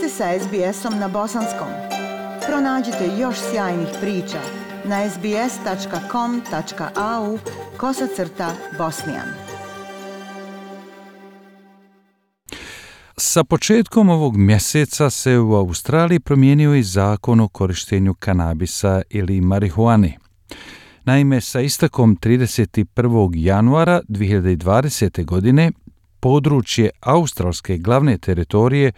ste sa SBS-om na bosanskom. Pronađite još sjajnih priča na sbs.com.au/bosnian. Sa početkom ovog mjeseca se u Australiji promijenio i zakon o korištenju kanabisa ili marihuane. Naime, sa istekom 31. januara 2020. godine područje australske glavne teritorije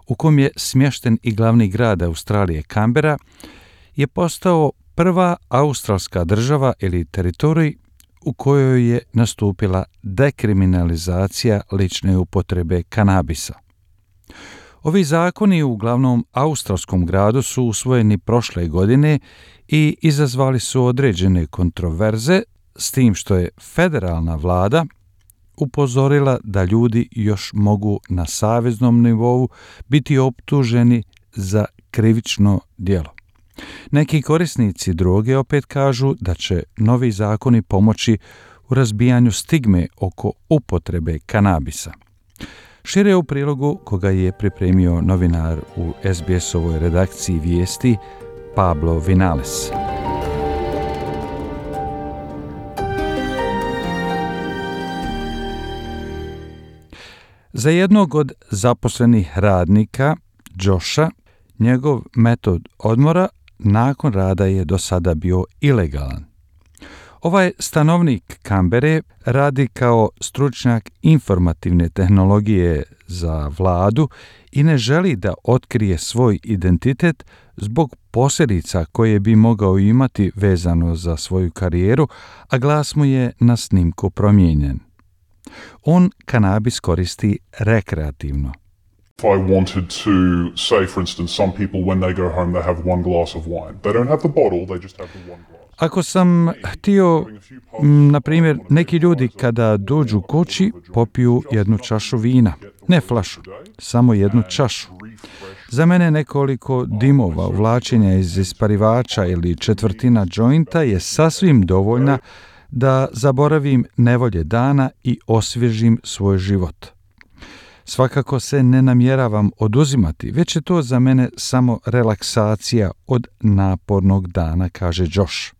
u kom je smješten i glavni grad Australije Canberra je postao prva australska država ili teritorij u kojoj je nastupila dekriminalizacija lične upotrebe kanabisa. Ovi zakoni u glavnom australskom gradu su usvojeni prošle godine i izazvali su određene kontroverze, s tim što je federalna vlada upozorila da ljudi još mogu na saveznom nivou biti optuženi za krivično djelo. Neki korisnici droge opet kažu da će novi zakoni pomoći u razbijanju stigme oko upotrebe kanabisa. Šire u prilogu koga je pripremio novinar u SBS-ovoj redakciji vijesti Pablo Vinales. Za jednog od zaposlenih radnika, Josha, njegov metod odmora nakon rada je do sada bio ilegalan. Ovaj stanovnik Canberre radi kao stručnjak informativne tehnologije za vladu i ne želi da otkrije svoj identitet zbog posljedica koje bi mogao imati vezano za svoju karijeru, a glas mu je na snimku promijenjen. On kanabis koristi rekreativno. If I wanted to say, for instance, some people when they go home they have one glass of wine. They don't have the bottle, they just have the one glass. Ako sam htio, na primjer, neki ljudi kada dođu kući popiju jednu čašu vina, ne flašu, samo jednu čašu. Za mene nekoliko dimova uvlačenja iz isparivača ili četvrtina džointa je sasvim dovoljna da zaboravim nevolje dana i osvježim svoj život. Svakako se ne namjeravam oduzimati, već je to za mene samo relaksacija od napornog dana, kaže Josh.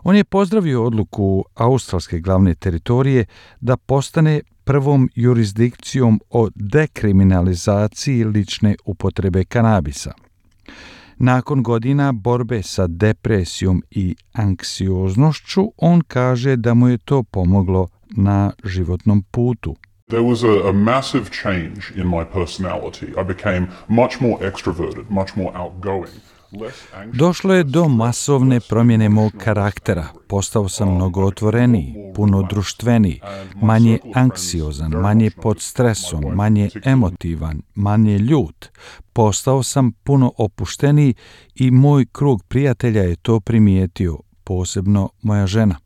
On je pozdravio odluku australske glavne teritorije da postane prvom jurisdikcijom o dekriminalizaciji lične upotrebe kanabisa. Nakon godina borbe sa depresijom i anksioznošću, on kaže da mu je to pomoglo na životnom putu. There was a massive change in my personality. I became much more extroverted, much more outgoing. Došlo je do masovne promjene mog karaktera. Postao sam mnogo otvoreniji, puno društveniji, manje anksiozan, manje pod stresom, manje emotivan, manje ljut. Postao sam puno opušteniji i moj krug prijatelja je to primijetio, posebno moja žena.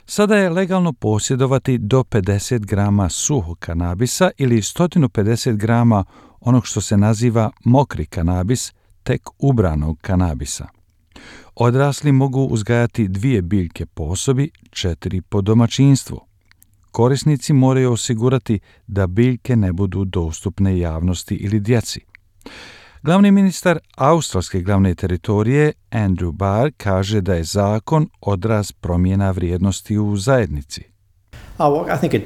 Sada je legalno posjedovati do 50 grama suhog kanabisa ili 150 grama onog što se naziva mokri kanabis, tek ubranog kanabisa. Odrasli mogu uzgajati 2 biljke po osobi, 4 po domaćinstvu. Korisnici moraju osigurati da biljke ne budu dostupne javnosti ili djeci. Glavni ministar australske glavne teritorije, Andrew Barr, kaže da je zakon odraz promjena vrijednosti u zajednici. I think it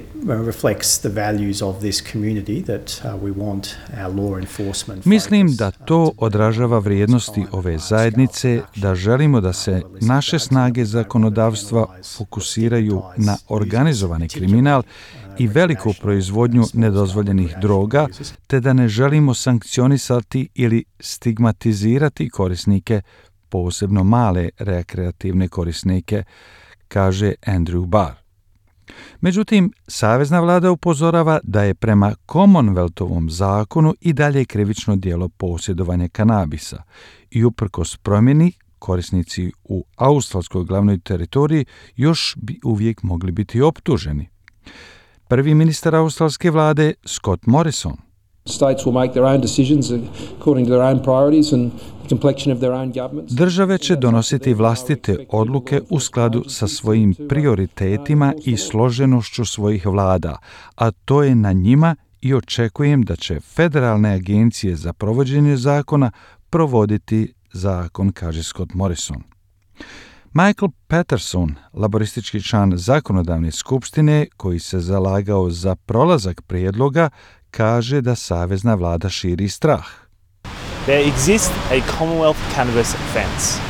reflects the values of this community that we want our law enforcement. Mislim da to odražava vrijednosti ove zajednice, da želimo da se naše snage zakonodavstva fokusiraju na organizovani kriminal i veliku proizvodnju nedozvoljenih droga, te da ne želimo sankcionisati ili stigmatizirati korisnike, posebno male rekreativne korisnike, kaže Andrew Barr. Međutim, savezna vlada upozorava da je prema Commonwealthovom zakonu i dalje krivično djelo posjedovanja kanabisa i uprkos promjeni korisnici u australskoj glavnoj teritoriji još bi uvijek mogli biti optuženi. Prvi ministar australske vlade, Scott Morrison, States will make their own decisions according to their own priorities and the complexion of their own governments. Države će donositi vlastite odluke u skladu sa svojim prioritetima i složenošću svojih vlada, a to je na njima i očekujem da će federalne agencije za provođenje zakona provoditi zakon, kaže Scott Morrison. Michael Patterson, laboristički član zakonodavne skupštine koji se zalagao za prolazak prijedloga, kaže da savezna vlada širi strah. There exists a Commonwealth cannabis offence.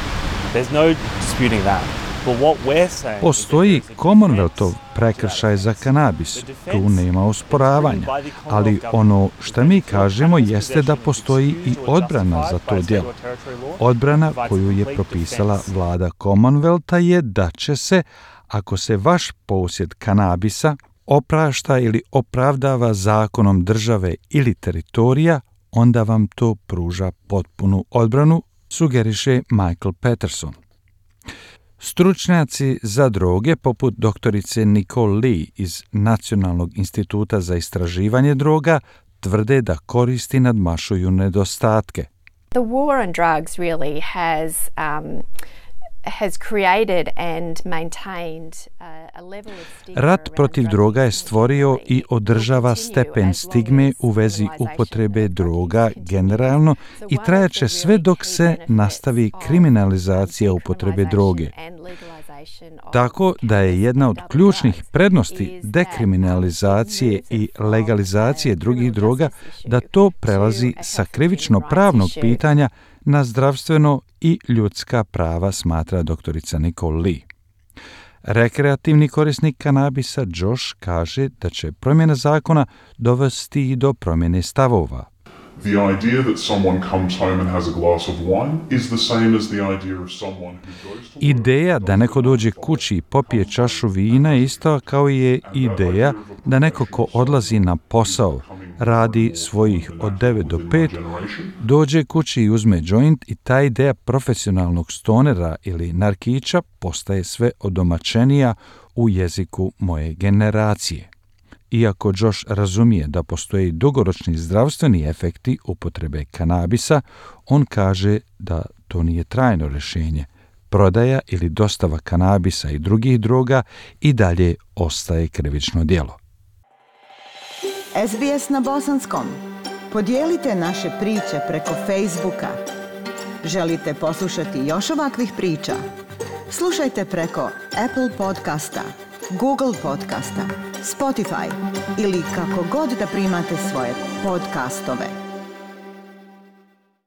There's no disputing that. But what we're saying... Postoji Commonwealthov prekršaj za kanabis, tu nema osporavanja, ali ono što mi kažemo jeste da postoji i odbrana za to djelo. Odbrana koju je propisala vlada Commonwealtha je da će se, ako se vaš posjed kanabisa oprašta ili opravdava zakonom države ili teritorija, onda vam to pruža potpunu odbranu, sugeriše Michael Patterson. Stručnjaci za droge, poput doktorice Nicole Lee iz Nacionalnog instituta za istraživanje droga, tvrde da koristi nadmašuju nedostatke. The war on drugs really has created and maintained a level of stigma. Rat protiv droga je stvorio i održava stepen stigme u vezi upotrebe droga generalno i trajaće sve dok se nastavi kriminalizacija upotrebe droge. Tako da je jedna od ključnih prednosti dekriminalizacije i legalizacije drugih droga da to prelazi sa krivično-pravnog pitanja na zdravstveno i ljudska prava, smatra doktorica Nicole Lee. Rekreativni korisnik kanabisa Josh kaže da će promjena zakona dovesti i do promjene stavova. The idea that someone comes home and has a glass of wine is the same as the idea of someone who goes to... Ideja da neko dođe kući i popije čašu vina je isto kao je ideja da neko ko odlazi na posao, radi svojih od 9 do 5, dođe kući i uzme joint i ta ideja profesionalnog stonera ili narkića postaje sve odomaćenija u jeziku moje generacije. Iako Josh razumije da postoje dugoročni zdravstveni efekti upotrebe kanabisa, on kaže da to nije trajno rješenje. Prodaja ili dostava kanabisa i drugih droga i dalje ostaje krivično djelo. SBS na bosanskom. Podijelite naše priče preko Facebooka. Želite poslušati još ovakvih priča? Slušajte preko Apple podcasta, Google podcasta, Spotify ili kako god da primate svoje podcastove.